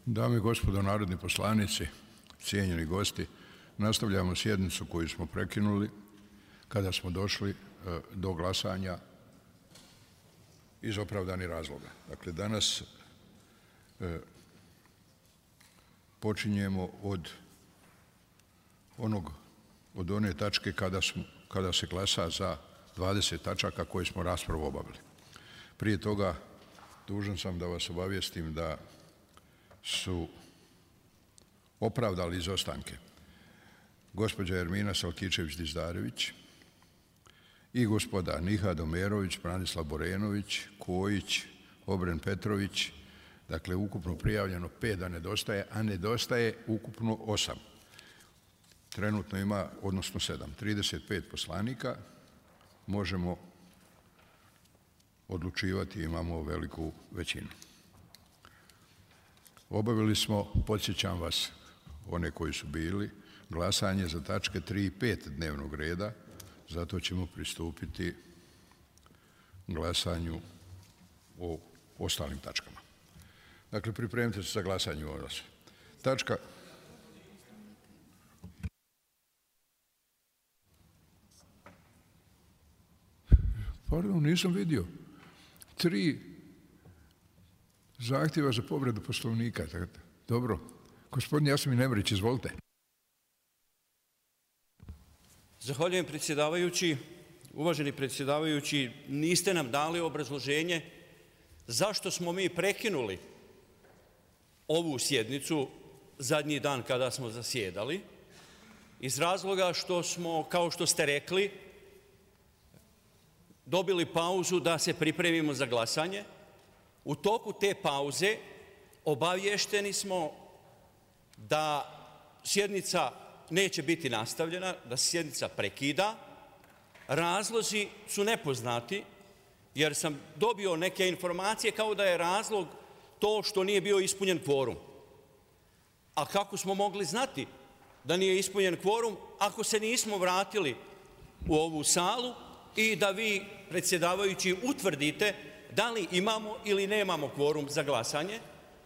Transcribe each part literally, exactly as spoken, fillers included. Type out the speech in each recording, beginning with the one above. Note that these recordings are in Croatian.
Dame i gospodo narodni poslanici, cijenjeni gosti, nastavljamo sjednicu koju smo prekinuli kada smo došli do glasanja iz opravdanih razloga. Dakle, danas e, počinjemo od onog, od one tačke kada, smo, kada se glasa za dvadeset tačaka koje smo raspravu obavili. Prije toga dužan sam da vas obavijestim da su opravdali izostanke gospođa Ermina Salkičević-Dizdarević i gospoda Nihad Omerović, Branislav Borenović, Kojić, Obren Petrović, dakle ukupno prijavljeno pet da nedostaje, a nedostaje ukupno osam. Trenutno ima, odnosno sedam, trideset pet poslanika, možemo odlučivati, imamo veliku većinu. Obavili smo, podsjećam vas, one koji su bili, glasanje za tačke tri i pet dnevnog reda, zato ćemo pristupiti glasanju o ostalim tačkama. Dakle, pripremite se za glasanje o nas. Tačka... Pardon, nisam vidio. Tri zahtjeva za povredu Poslovnika. Dobro. Gospodin Jasmin Emrić, izvolite. Zahvaljujem predsjedavajući. Uvaženi predsjedavajući, niste nam dali obrazloženje zašto smo mi prekinuli ovu sjednicu zadnji dan kada smo zasjedali, iz razloga što smo, kao što ste rekli, dobili pauzu da se pripremimo za glasanje. U toku te pauze obavješteni smo da sjednica neće biti nastavljena, da se sjednica prekida. Razlozi su nepoznati, jer sam dobio neke informacije kao da je razlog to što nije bio ispunjen kvorum. A kako smo mogli znati da nije ispunjen kvorum ako se nismo vratili u ovu salu i da vi, predsjedavajući, utvrdite da li imamo ili nemamo kvorum za glasanje?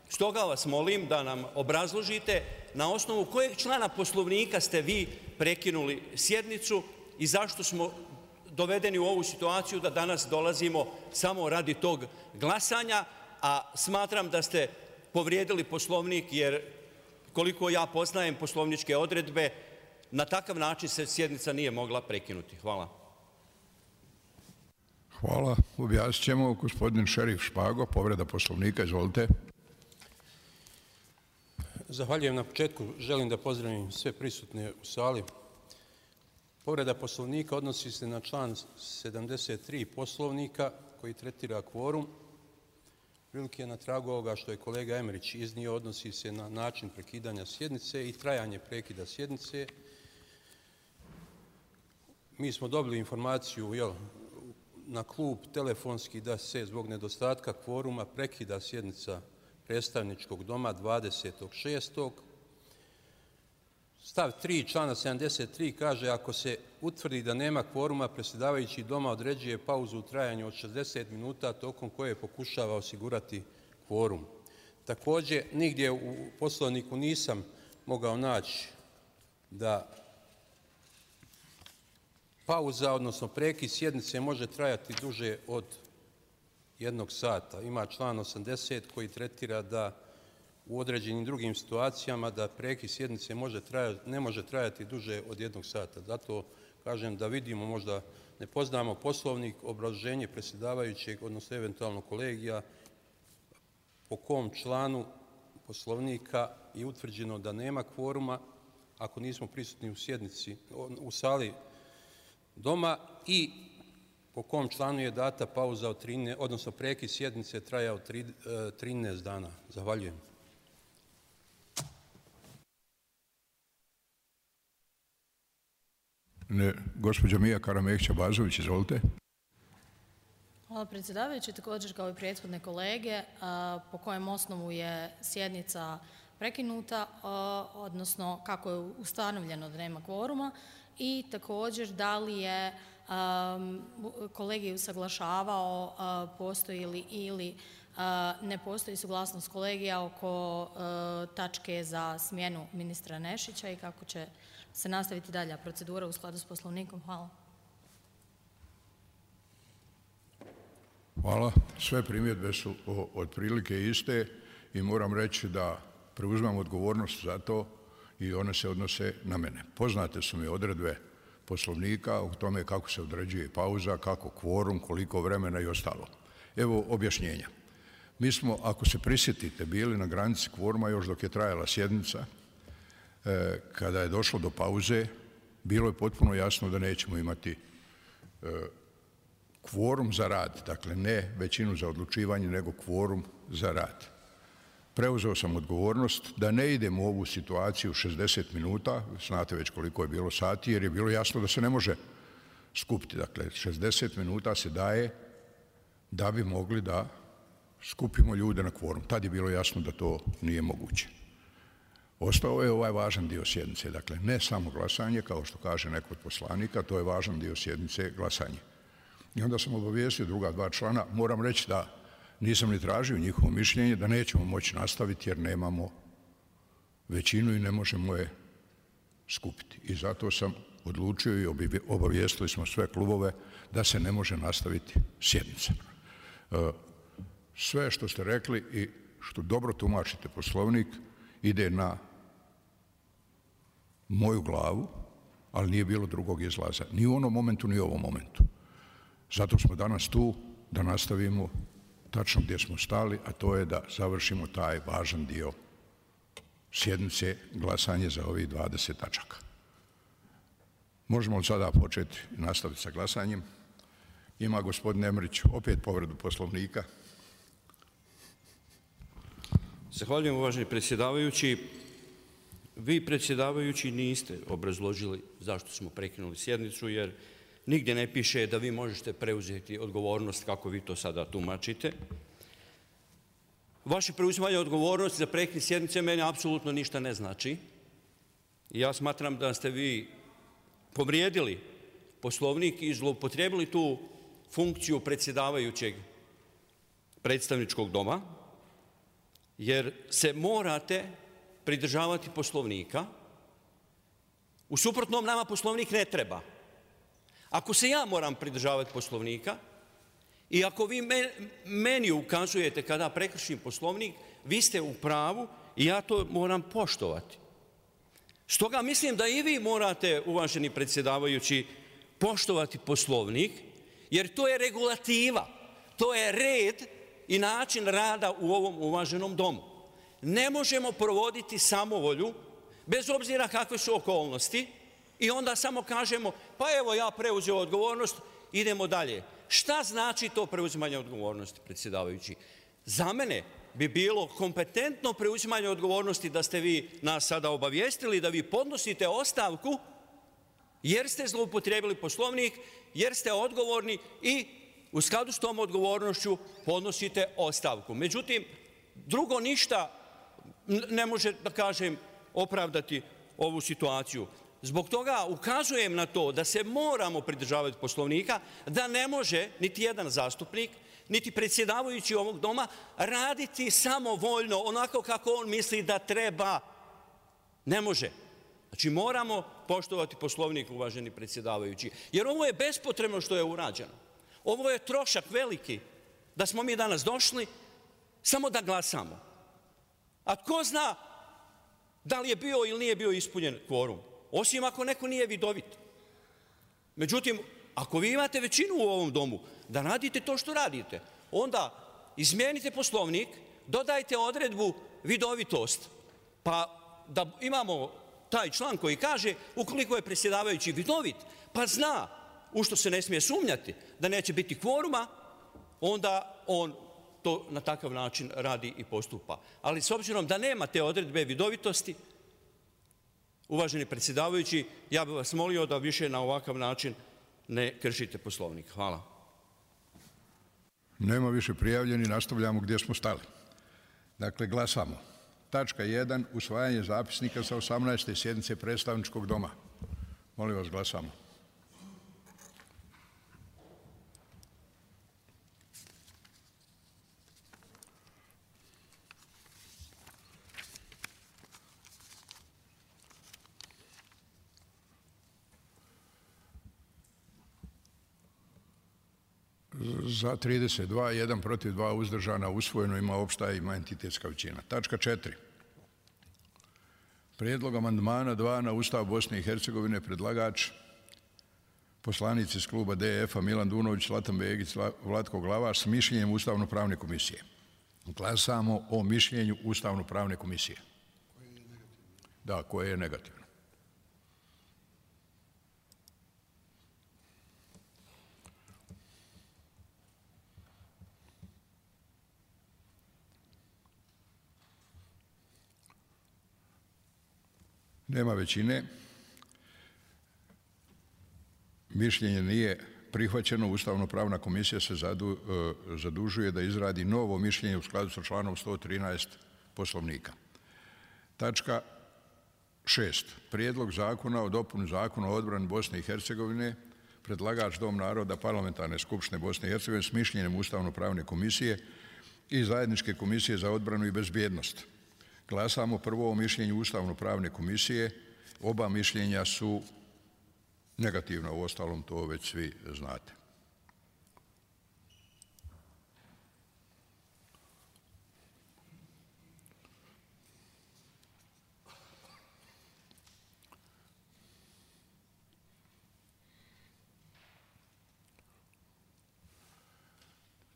Stoga vas molim da nam obrazložite na osnovu kojeg člana Poslovnika ste vi prekinuli sjednicu i zašto smo dovedeni u ovu situaciju da danas dolazimo samo radi tog glasanja, a smatram da ste povrijedili Poslovnik jer, koliko ja poznajem poslovničke odredbe, na takav način se sjednica nije mogla prekinuti. Hvala. Hvala. Objasnit ćemo. Gospodin Šerif Špago, povreda Poslovnika, izvolite. Zahvaljujem na početku. Želim da pozdravim sve prisutne u sali. Povreda Poslovnika odnosi se na član sedamdeset tri Poslovnika koji tretira kvorum. Prilike na tragu ovoga što je kolega Emrić iznio, odnosi se na način prekidanja sjednice i trajanje prekida sjednice. Mi smo dobili informaciju, jel, na klub telefonski da se zbog nedostatka kvoruma prekida sjednica predstavničkog doma dvadesetog šestog Stav tri člana sedamdeset tri kaže: ako se utvrdi da nema kvoruma, predsjedavajući doma određuje pauzu u trajanju od šezdeset minuta tokom koje pokušava osigurati kvorum. Također, nigdje u Poslovniku nisam mogao naći da pauza, odnosno prekid sjednice može trajati duže od jednog sata. Ima član osamdeset koji tretira da u određenim drugim situacijama da prekid sjednice može trajati, ne može trajati duže od jednog sata. Zato kažem da vidimo, možda ne poznamo Poslovnik, obrazloženje predsjedavajućeg, odnosno eventualno kolegija, po kom članu Poslovnika je utvrđeno da nema kvoruma ako nismo prisutni u sjednici, u sali doma, i po kom članu je data pauza od trinaest, odnosno prekid sjednice trajao trinaest dana. Zahvaljujem. Ne, gospođa Mija Karamekća-Bazović, izvolite. Hvala predsjedavajući. Također kao i prethodne kolege, po kojem osnovu je sjednica prekinuta, odnosno kako je ustanovljeno da nema kvoruma, i također da li je kolegij usaglašavao postoji li ili ne postoji suglasnost kolegija oko tačke za smjenu ministra Nešića i kako će se nastaviti dalja procedura u skladu s Poslovnikom. Hvala. Hvala. Sve primjedbe su otprilike iste i moram reći da preuzimam odgovornost za to i one se odnose na mene. Poznate su mi odredbe Poslovnika o tome kako se određuje pauza, kako kvorum, koliko vremena i ostalo. Evo objašnjenja. Mi smo, ako se prisjetite, bili na granici kvoruma još dok je trajala sjednica. E, kada je došlo do pauze, bilo je potpuno jasno da nećemo imati e, kvorum za rad, dakle ne većinu za odlučivanje, nego kvorum za rad. Preuzeo sam odgovornost da ne idemo u ovu situaciju šezdeset minuta, znate već koliko je bilo sati, jer je bilo jasno da se ne može skupiti. Dakle, šezdeset minuta se daje da bi mogli da skupimo ljude na kvorum. Tad je bilo jasno da to nije moguće. Ostao je ovaj važan dio sjednice, dakle ne samo glasanje, kao što kaže neko od poslanika, to je važan dio sjednice, glasanje. I onda sam obavijestio druga dva člana, moram reći da nisam ni tražio njihovo mišljenje, da nećemo moći nastaviti jer nemamo većinu i ne možemo je skupiti. I zato sam odlučio i obavijestili smo sve klubove da se ne može nastaviti sjednica. Sve što ste rekli i što dobro tumačite Poslovnik ide na moju glavu, ali nije bilo drugog izlaza. Ni u onom momentu, ni u ovom momentu. Zato smo danas tu da nastavimo tačno gdje smo stali, a to je da završimo taj važan dio sjednice, glasanje za ovih dvadeset tačaka. Možemo od sada početi i nastaviti sa glasanjem. Ima gospodin Emrić opet povredu Poslovnika. Zahvaljujem, uvaženi predsjedavajući. Vi, predsjedavajući, niste obrazložili zašto smo prekinuli sjednicu, jer nigdje ne piše da vi možete preuzeti odgovornost kako vi to sada tumačite. Vaše preuzimanje odgovornosti za prekid sjednice meni apsolutno ništa ne znači. Ja smatram da ste vi povrijedili Poslovnik i zloupotrijebili tu funkciju predsjedavajućeg predstavničkog doma, jer se morate pridržavati Poslovnika. U suprotnom nama Poslovnik ne treba. Ako se ja moram pridržavati Poslovnika i ako vi meni ukazujete kada prekršim Poslovnik, vi ste u pravu i ja to moram poštovati. Stoga mislim da i vi morate, uvaženi predsjedavajući, poštovati Poslovnik, jer to je regulativa, to je red i način rada u ovom uvaženom domu. Ne možemo provoditi samovolju, bez obzira kakve su okolnosti, i onda samo kažemo, pa evo ja preuzeo odgovornost, idemo dalje. Šta znači to preuzimanje odgovornosti, predsjedavajući? Za mene bi bilo kompetentno preuzimanje odgovornosti da ste vi nas sada obavijestili, da vi podnosite ostavku, jer ste zloupotrijebili Poslovnik, jer ste odgovorni i u skladu s tom odgovornošću podnosite ostavku. Međutim, drugo ništa ne može, da kažem, opravdati ovu situaciju. Zbog toga ukazujem na to da se moramo pridržavati Poslovnika, da ne može niti jedan zastupnik, niti predsjedavajući ovog doma raditi samovoljno, onako kako on misli da treba. Ne može. Znači moramo poštovati Poslovnik, uvaženi predsjedavajući, jer ovo je bespotrebno što je urađeno. Ovo je trošak veliki da smo mi danas došli samo da glasamo. A tko zna da li je bio ili nije bio ispunjen kvorum? Osim ako neko nije vidovit. Međutim, ako vi imate većinu u ovom domu da radite to što radite, onda izmijenite Poslovnik, dodajte odredbu vidovitost, pa da imamo taj član koji kaže ukoliko je predsjedavajući vidovit, pa zna u što se ne smije sumnjati da neće biti kvoruma, onda on to na takav način radi i postupa. Ali s obzirom da nema te odredbe vidovitosti, uvaženi predsjedavajući, ja bih vas molio da više na ovakav način ne kršite Poslovnik. Hvala. Nema više prijavljeni, nastavljamo gdje smo stali. Dakle, glasamo. Tačka jedan. Usvajanje zapisnika sa osamnaeste sjednice predstavničkog doma. Molim vas, glasamo. Za trideset dva, jedan protiv, dva uzdržana, usvojeno, ima opšta, ima entitetska većina. Tačka četiri. Prijedlog amandmana dva na Ustav Bosne i Hercegovine, predlagač poslanici iz kluba D F-a Milan Dunović, Zlatan Begić, Vlatko Glavaš s mišljenjem Ustavno-pravne komisije. Glasamo o mišljenju Ustavno-pravne komisije. Da, koje je negativno. Nema većine. Mišljenje nije prihvaćeno. Ustavno-pravna komisija se zadu, zadužuje da izradi novo mišljenje u skladu sa članom sto trinaest Poslovnika. Tačka šest. Prijedlog zakona o dopuni Zakona o odbrani Bosne i Hercegovine, predlagač Dom naroda Parlamentarne skupštine Bosne i Hercegovine s mišljenjem Ustavno-pravne komisije i Zajedničke komisije za odbranu i bezbjednost. Glasamo prvo o mišljenju Ustavno-pravne komisije. Oba mišljenja su negativna, u ostalom to već svi znate.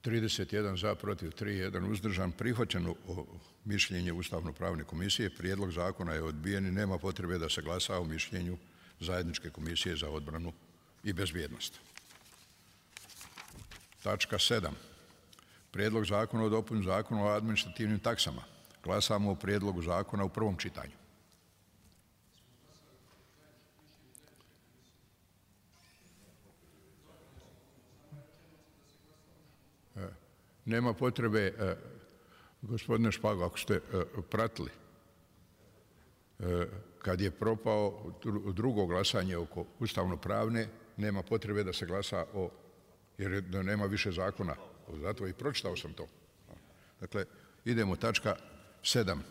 trideset jedan za, protiv tri, jedan uzdržan. Prihvaćeno mišljenje Ustavno-pravne komisije. Prijedlog zakona je odbijen i nema potrebe da se glasa o mišljenju Zajedničke komisije za odbranu i bezbjednost. Tačka sedam. Prijedlog zakona o dopuni Zakona o administrativnim taksama. Glasamo o prijedlogu zakona u prvom čitanju. Nema potrebe, gospodine Špago, ako ste pratili, kad je propao drugo glasanje oko ustavno-pravne, nema potrebe da se glasa o, jer nema više zakona. Zato i pročitao sam to. Dakle, idemo tačka sedam.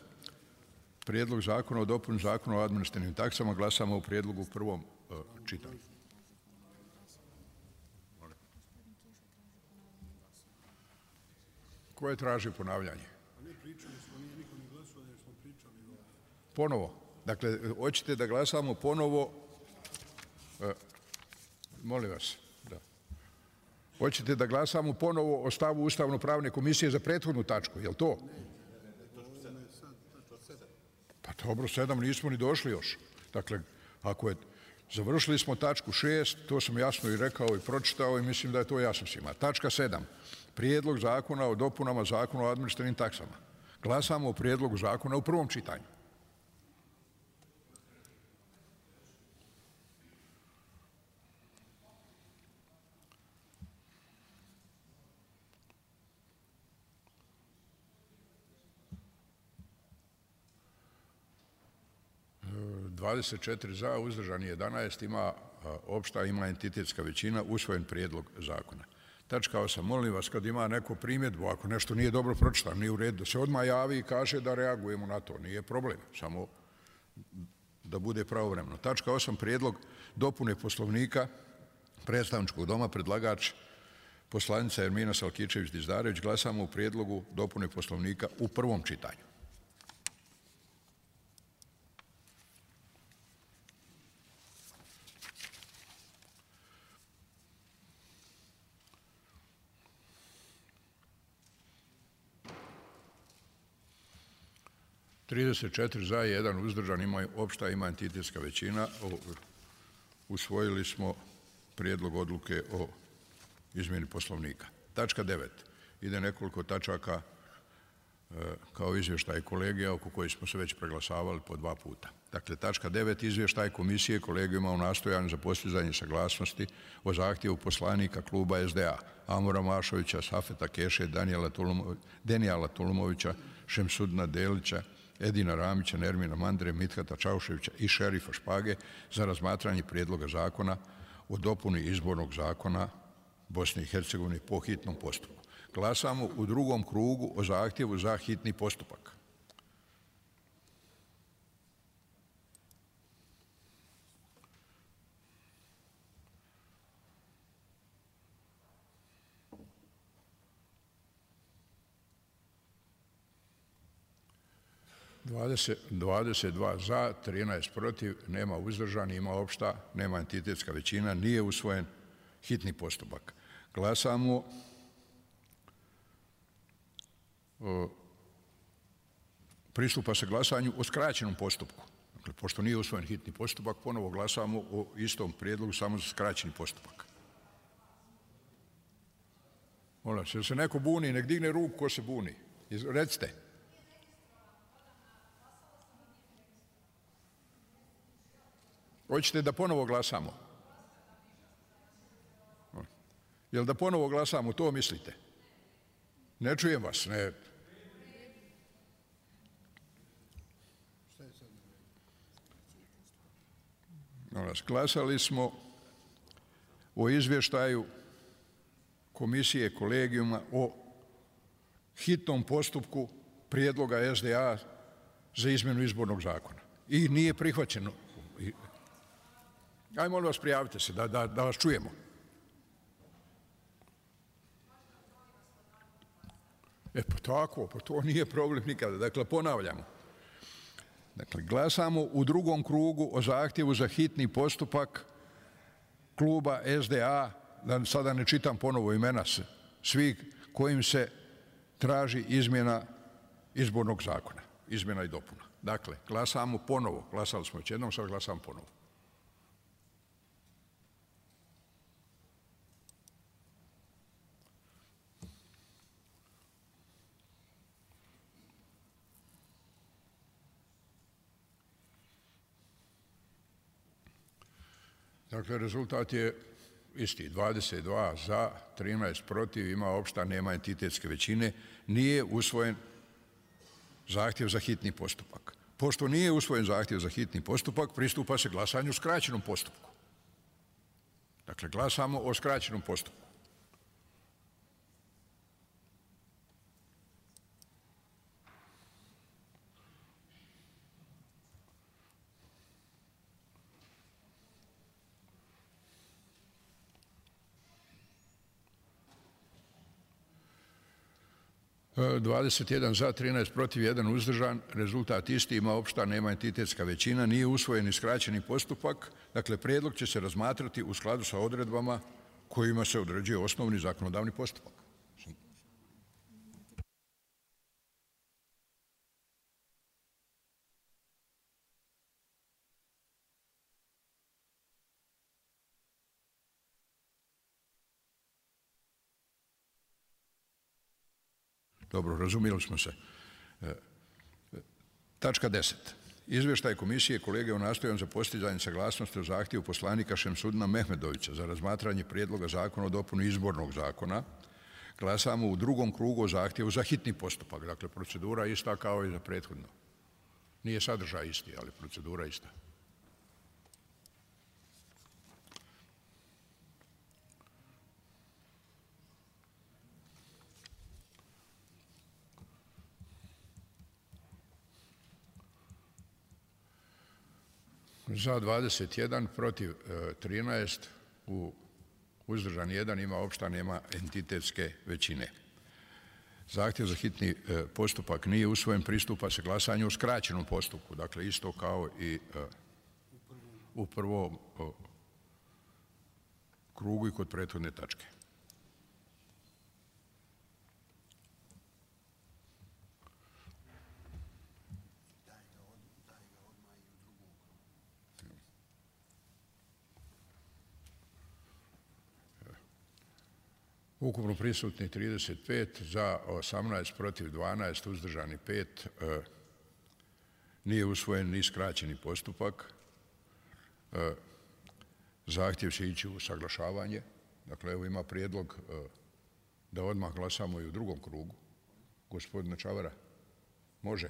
Prijedlog zakona o dopuni Zakona o administrativnim taksama. Glasamo u prijedlogu u prvom čitanju. Koje traži ponavljanje? Ponovo. Dakle, hoćete da glasamo ponovo, e, molim vas, da. Hoćete da glasamo ponovo o stavu Ustavno-pravne komisije za prethodnu tačku, je li to? Pa dobro, sedam nismo ni došli još. Dakle, ako je, završili smo tačku šest, to sam jasno i rekao i pročitao i mislim da je to jasno svima. Tačka sedam. Prijedlog zakona o dopunama Zakona o administrativnim taksama. Glasamo o prijedlogu zakona u prvom čitanju. dvadeset četiri za, uzdržani jedanaest, ima opšta, ima entitetska većina, usvojen prijedlog zakona. Tačka osam. Molim vas, kad ima neko primjedbu, ako nešto nije dobro pročitano, nije u redu, da se odmah javi i kaže da reagujemo na to. Nije problem, samo da bude pravovremeno. Tačka osam. Prijedlog dopune Poslovnika predstavničkog doma, predlagač poslanica Ermina Salkičević-Dizdarević. Glasamo u prijedlogu dopune Poslovnika u prvom čitanju. trideset četiri za, jedan uzdržan, ima opšta, ima entitetska većina. Usvojili smo prijedlog odluke o izmjeni Poslovnika. Tačka devet. Ide nekoliko tačaka kao izvještaj kolegija oko koji smo se već preglasavali po dva puta. Dakle, tačka devet. Izvještaj komisije kolegijuma o nastojanju za postizanje saglasnosti o zahtjevu poslanika kluba S D A Amora Mašovića, Safeta Keše, Denijala Tulumovića, Šemsudna Delića, Edina Ramića, Nermina Mandre, Mithata Čauševića i Šerifa Špage za razmatranje prijedloga zakona o dopuni izbornog zakona Bosne i Hercegovine po hitnom postupku. Glasamo u drugom krugu o zahtjevu za hitni postupak. dvadeset dva za, trinaest protiv, nema uzdržani, ima opšta, nema entitetska većina, nije usvojen hitni postupak. Glasamo o, pristupa se glasanju o skraćenom postupku. Dakle, pošto nije usvojen hitni postupak, ponovo glasamo o istom prijedlogu samo za skraćeni postupak. Molim se, se neko buni, nek digne ruku ko se buni. Recite. Hoćete da ponovo glasamo? Jel da ponovo glasamo, to mislite? Ne čujem vas, ne. Glasali smo o izvještaju komisije kolegijuma o hitnom postupku prijedloga S D A za izmjenu izbornog zakona. I nije prihvaćeno. Aj, molim vas, prijavite se, da, da, da vas čujemo. E pa tako, pa to nije problem nikada. Dakle, ponavljamo. Dakle, glasamo u drugom krugu o zahtjevu za hitni postupak kluba S D A, da sada ne čitam ponovo imena svih kojim se traži izmjena izbornog zakona, izmjena i dopuna. Dakle, glasamo ponovo, glasali smo već jednom, sad glasamo ponovo. Dakle, rezultat je isti, dvadeset dva za, trinaest protiv, ima opšta, nema entitetske većine, nije usvojen zahtjev za hitni postupak. Pošto nije usvojen zahtjev za hitni postupak, pristupa se glasanju u skraćenom postupku. Dakle, glasamo o skraćenom postupku. dvadeset jedan za, trinaest protiv, jedan uzdržan, rezultat isti, ima opšta, nema entitetska većina, nije usvojen i skraćeni postupak, dakle, prijedlog će se razmatrati u skladu sa odredbama kojima se određuje osnovni zakonodavni postupak. Dobro, razumijeli smo se. Tačka deset. Izvještaj komisije kolege o nastojanju za postizanje saglasnosti o zahtjevu poslanika Šemsudina Mehmedovića za razmatranje prijedloga zakona o dopuni izbornog zakona. Glasamo u drugom krugu o zahtjevu za hitni postupak. Dakle, procedura ista kao i za prethodno. Nije sadržaj isti, ali procedura ista. Za dvadeset jedan, protiv trinaest, u uzdržan jedan, ima opšta, nema entitetske većine. Zahtjev za hitni postupak nije usvojen, pristupa se glasanju u skraćenom postupku, dakle isto kao i u prvom krugu i kod prethodne tačke. Ukupno prisutni trideset pet, za osamnaest, protiv dvanaest, uzdržani pet, nije usvojen ni skraćeni postupak. Zahtjev će ići u saglašavanje. Dakle, evo ima prijedlog da odmah glasamo i u drugom krugu. Gospodina Čavara, može?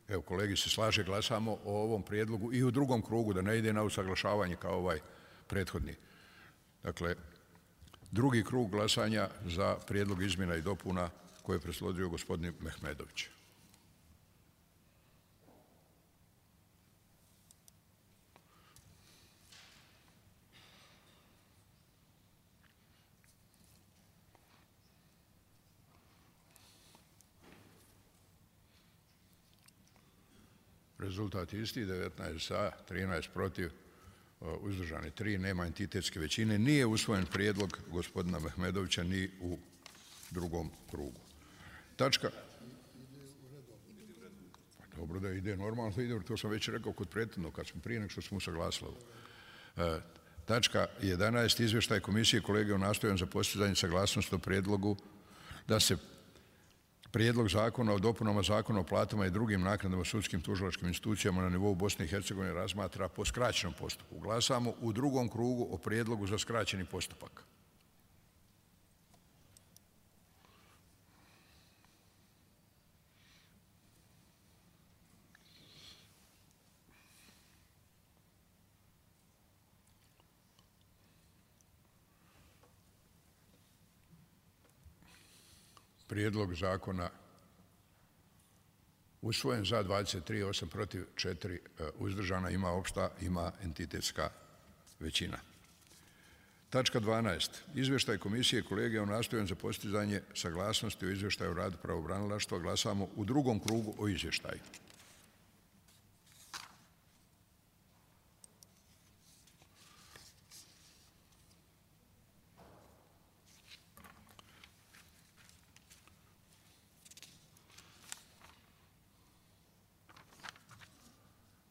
Evo, kolegi se slaže, glasamo o ovom prijedlogu i u drugom krugu, da ne ide na usaglašavanje kao ovaj prethodni. Dakle, drugi krug glasanja za prijedlog izmjena i dopuna koje je predložio gospodin Mehmedović. Rezultat isti, devetnaest za, trinaest protiv, uzdržani tri, nema entitetske većine. Nije usvojen prijedlog gospodina Mehmedovića ni u drugom krugu. Tačka... Pa dobro da ide normalno, ide, to sam već rekao kod prethodnog, kad smo prije nego što smo usaglasili. Tačka jedanaest. Izvještaj komisije kolege o nastojanju za postizanje saglasnosti o prijedlogu da se Prijedlog zakona o dopunama Zakona o platama i drugim naknadama sudskim tužilačkim institucijama na nivou Bosne i Hercegovine razmatra po skraćenom postupku. Glasamo u drugom krugu o prijedlogu za skraćeni postupak. Prijedlog zakona usvojen, za dvadeset tri, osam protiv, četiri uzdržana, ima opšta, ima entitetska većina. Tačka dvanaest. Izvještaj komisije kolege o nastojanju za postizanje saglasnosti o izvještaju o radu pravobranilaštva. Glasamo u drugom krugu o izvještaju.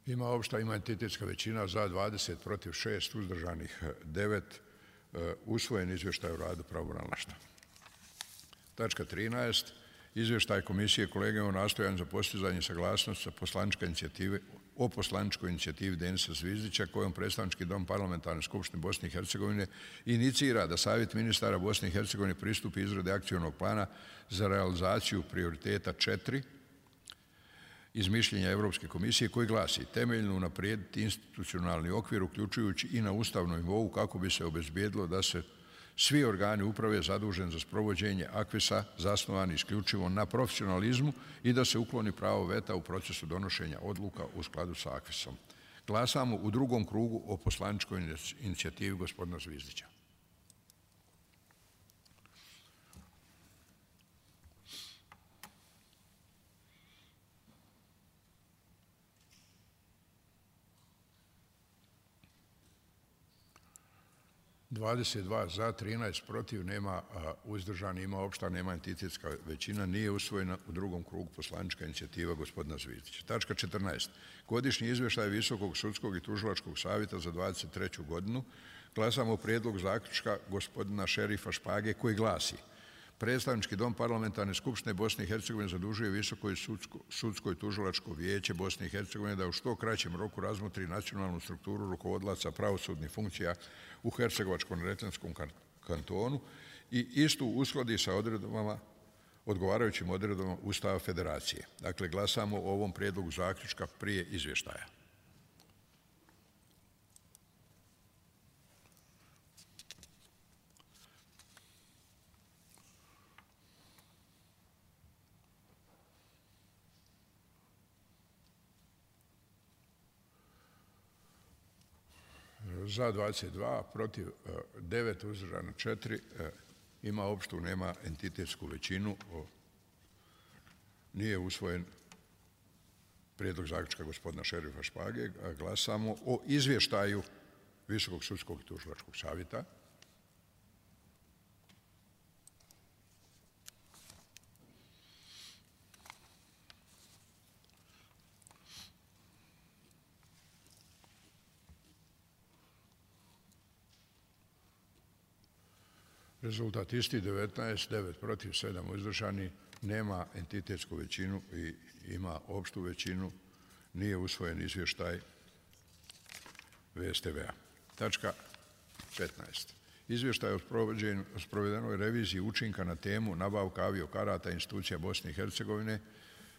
Ima opšta, ima entitetska većina, za dvadeset protiv šest, uzdržanih devet, usvojen izvještaj o radu pravobranilaštva. Tačka trinaest. Izvještaj komisije kolege o nastojanju za postizanje saglasnosti sa poslaničke inicijative o poslaničkoj inicijativi Denisa Zvizdića kojom predstavnički dom Parlamentarne skupštine Bosne i Hercegovine inicira da Savjet ministara Bosne i Hercegovine pristupi izradi akcionog plana za realizaciju prioriteta četiri iz mišljenja Europske komisije koji glasi: temeljno unaprijediti institucionalni okvir uključujući i na ustavnom nivou kako bi se obezbijedilo da se svi organi uprave zaduženi za sprovođenje akvisa zasnovani isključivo na profesionalizmu i da se ukloni pravo veta u procesu donošenja odluka u skladu sa akvisom. Glasamo u drugom krugu o poslaničkoj inicijativi gospodina Zvizdića. dvadeset dva za, trinaest protiv, nema uzdržani, ima opšta, nema entitetska većina, nije usvojena u drugom krugu poslanička inicijativa gospodina Zvizdića. Tačka četrnaest. Godišnji izvještaj Visokog sudskog i tužilačkog savjeta za dvadeset treću godinu. Glasamo o prijedlog zaključka gospodina Šerifa Špage koji glasi: predstavnički dom Parlamentarne skupštine Bosne i Hercegovine zadužuje Visoko sudsko i tužilačko vijeće Bosne i Hercegovine da u što kraćem roku razmotri nacionalnu strukturu rukovodlaca pravosudnih funkcija u Hercegovačko-neretvanskom kantonu i istu uskladi sa odredbama, odgovarajućim odredbama Ustava Federacije. Dakle, glasamo o ovom prijedlogu zaključka prije izvještaja. Za dvadeset dva, protiv devet, uzdržano četiri, ima opštu, nema entitetsku većinu, nije usvojen prijedlog zaključka gospodina Šerifa Špage. Glasamo o izvještaju Visokog sudskog i tužilačkog savjeta. Rezultat isti, devetnaest, devet protiv, sedam uzdržani, nema entitetsku većinu i ima opštu većinu, nije usvojen izvještaj V S T V-a. Tačka petnaest. Izvještaj o sprovedenoj reviziji učinka na temu nabavka aviokarata institucija Bosne i Hercegovine,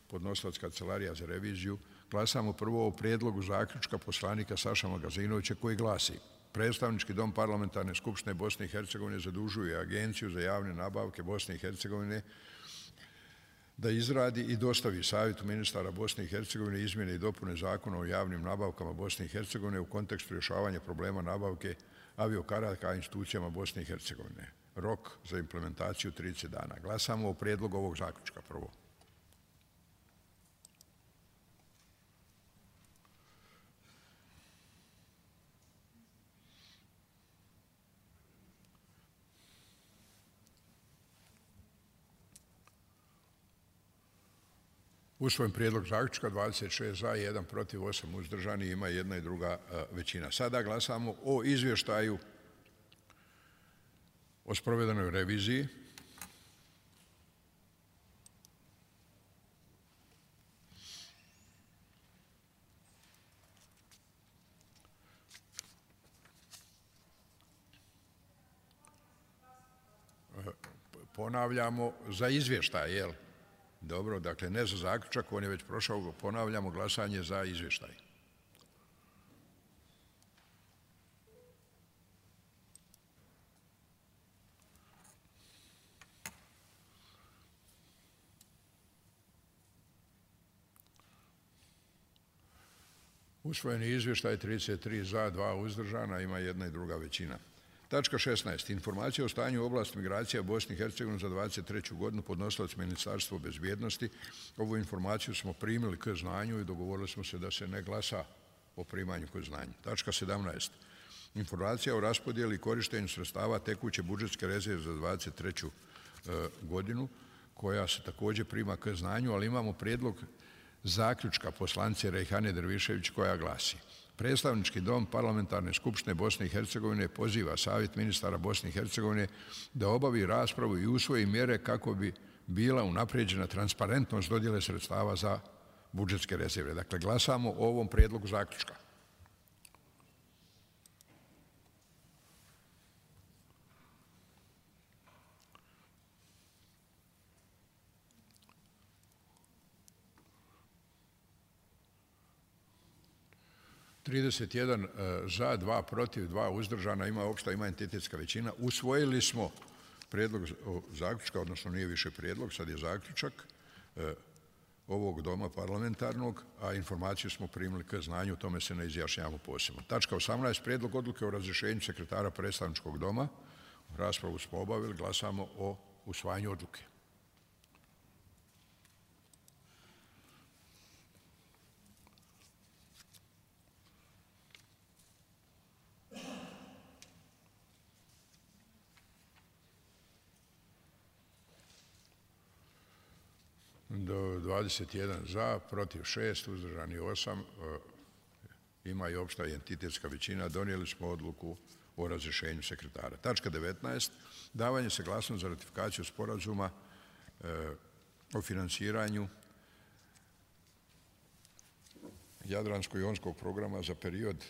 podnosilac Kancelarija za reviziju. Glasamo prvo o prijedlogu zaključka poslanika Saša Magazinovića koji glasi: predstavnički dom Parlamentarne skupštine Bosne i Hercegovine zadužuje Agenciju za javne nabavke Bosne i Hercegovine da izradi i dostavi Savjetu ministara Bosne i Hercegovine izmjene i dopune Zakona o javnim nabavkama Bosne i Hercegovine u kontekstu rješavanja problema nabavke aviokarata institucijama Bosne i Hercegovine. Rok za implementaciju trideset dana. Glasamo o prijedlogu ovog zaključka prvo. Usvojen prijedlog zaključka, dvadeset šest za, jedan protiv, osam uzdržani, ima jedna i druga većina. Sada glasamo o izvještaju o sprovedenoj reviziji. Ponavljamo za izvještaj, jel? Dobro, dakle ne za zaključak, on je već prošao, ponavljamo glasanje za izvještaj. Usvojeni izvještaj trideset tri za, dva uzdržana, ima jedna i druga većina. Tačka šesnaest. Informacija o stanju u oblasti migracija Bosne i Hercegovine za dvadeset treću godinu, podnosilac Ministarstvo bezbjednosti. Ovu informaciju smo primili k znanju i dogovorili smo se da se ne glasa o primanju k znanju. Tačka sedamnaest. Informacija o raspodjeli i korištenju sredstava tekuće budžetske rezerve za dvadeset treću godinu, koja se također prima k znanju, ali imamo prijedlog zaključka poslanice Rejhane Drvišević koja glasi: Predstavnički dom Parlamentarne skupštine Bosne i Hercegovine poziva Savjet ministara Bosne i Hercegovine da obavi raspravu i usvoji mjere kako bi bila unaprijeđena transparentnost dodjele sredstava za budžetske rezerve. Dakle, glasamo o ovom prijedlogu zaključka. trideset jedan za, dva protiv, dva uzdržana, ima opšta, ima entitetska većina. Usvojili smo prijedlog zaključka, odnosno nije više prijedlog, sad je zaključak ovog doma parlamentarnog, a informaciju smo primili k znanju, o tome se ne izjašnjavamo posebno. Tačka osamnaest. Prijedlog odluke o razrješenju sekretara predstavničkog doma. Raspravu smo obavili, glasamo o usvajanju odluke. dvadeset jedan za, protiv šest, uzdržani osam, ima i opšta i entitetska većina. Donijeli smo odluku o razrješenju sekretara. Tačka devetnaest. Davanje saglasnosti za ratifikaciju sporazuma o financiranju Jadransko-jonskog programa za period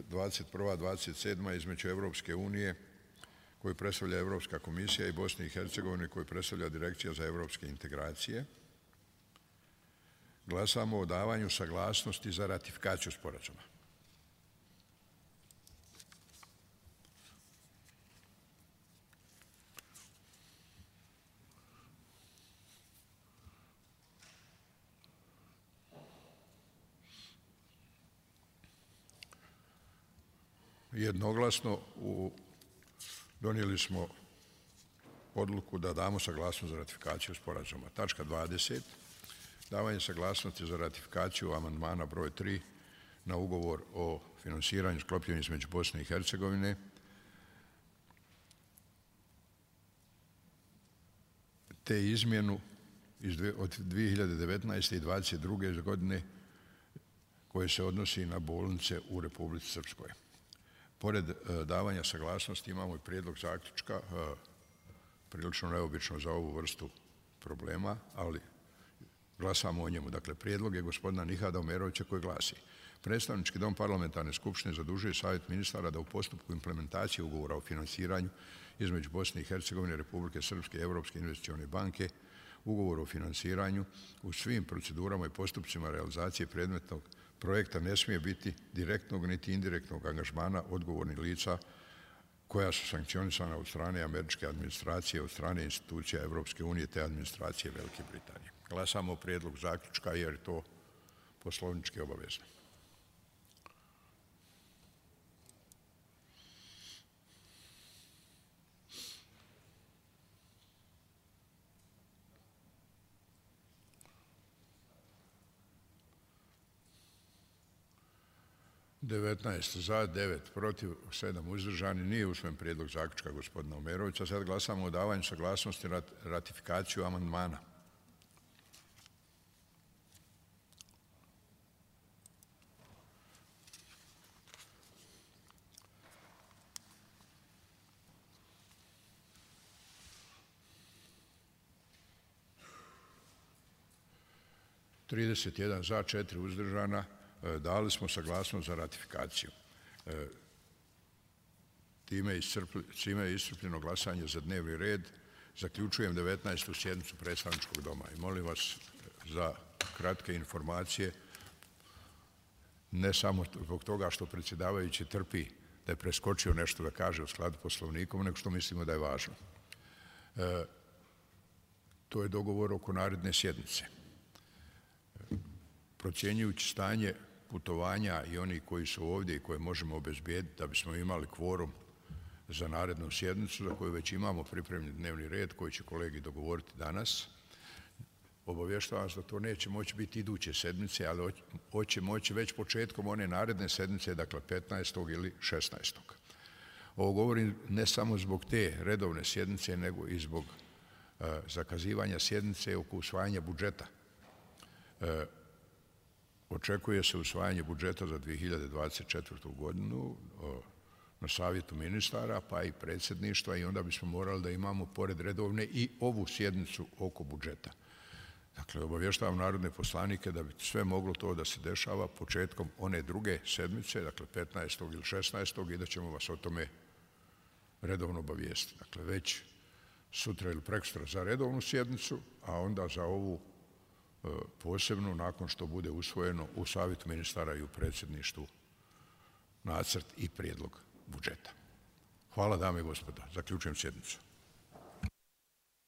dvadeset prva do dvadeset sedma između Evropske unije koju predstavlja Evropska komisija i Bosne i Hercegovine koju predstavlja Direkcija za evropske integracije. Glasamo o davanju saglasnosti za ratifikaciju sporazuma. Jednoglasno donijeli smo odluku da damo saglasnost za ratifikaciju sporazuma. Tačka dvadeset. Davanje saglasnosti za ratifikaciju amandmana broj tri na ugovor o finansiranju sklopljen između Bosne i Hercegovine te izmjenu od dvije hiljade devetnaeste. i dvadeset druge. godine koje se odnosi na bolnice u Republici Srpskoj. Pored davanja saglasnosti imamo i prijedlog zaključka, prilično neobično za ovu vrstu problema, ali glasamo o njemu. Dakle, prijedlog je gospodina Nihada Omerovića koji glasi: Predstavnički dom Parlamentarne skupštine zadužuje Savjet ministara da u postupku implementacije ugovora o finansiranju između Bosne i Hercegovine, Republike Srpske i Evropske investicione banke, ugovor o finansiranju u svim procedurama i postupcima realizacije predmetnog projekta ne smije biti direktnog niti indirektnog angažmana odgovornih lica koja su sankcionisana od strane američke administracije, od strane institucija Evropske unije te administracije Velike Britanije. Glasamo o prijedlogu zaključka jer je to poslovnički obavezno. devetnaest za, devet protiv, sedam uzdržani. Nije usvojen prijedlog zaključka gospodina Omerovića. Sad glasamo o davanju saglasnosti na ratifikaciju amandmana. trideset jedan za, četiri uzdržana, dali smo saglasnost za ratifikaciju. Time je iscrpljeno glasanje za dnevni red. Zaključujem devetnaestu sjednicu predstavničkog doma i molim vas za kratke informacije, ne samo zbog toga što predsjedavajući trpi da je preskočio nešto da kaže u skladu Poslovnikom, nego što mislimo da je važno. E, to je dogovor oko naredne sjednice. Procjenjujući stanje putovanja i oni koji su ovdje i koje možemo obezbijediti da bismo imali kvorum za narednu sjednicu, za koju već imamo pripremljen dnevni red koji će kolegi dogovoriti danas, obavještavam vas da to neće moći biti iduće sedmice, ali hoće moći već početkom one naredne sedmice, dakle petnaestog ili šesnaestog Ovo govorim ne samo zbog te redovne sjednice, nego i zbog uh, zakazivanja sjednice oko usvajanja budžeta. Uh, očekuje se usvajanje budžeta za dvije hiljade dvadeset četvrtu godinu uh, na savjetu ministara, pa i predsjedništva, i onda bismo morali da imamo pored redovne i ovu sjednicu oko budžeta. Dakle, obavještavam narodne poslanike da bi sve moglo to da se dešava početkom one druge sedmice, dakle petnaestog ili šesnaestog i da ćemo vas o tome redovno obavijestiti. Dakle, već sutra ili prekosutra za redovnu sjednicu, a onda za ovu e, posebnu, nakon što bude usvojeno u savjetu ministara i u predsjedništvu nacrt i prijedlog budžeta. Hvala, dame i gospodo. Zaključujem sjednicu.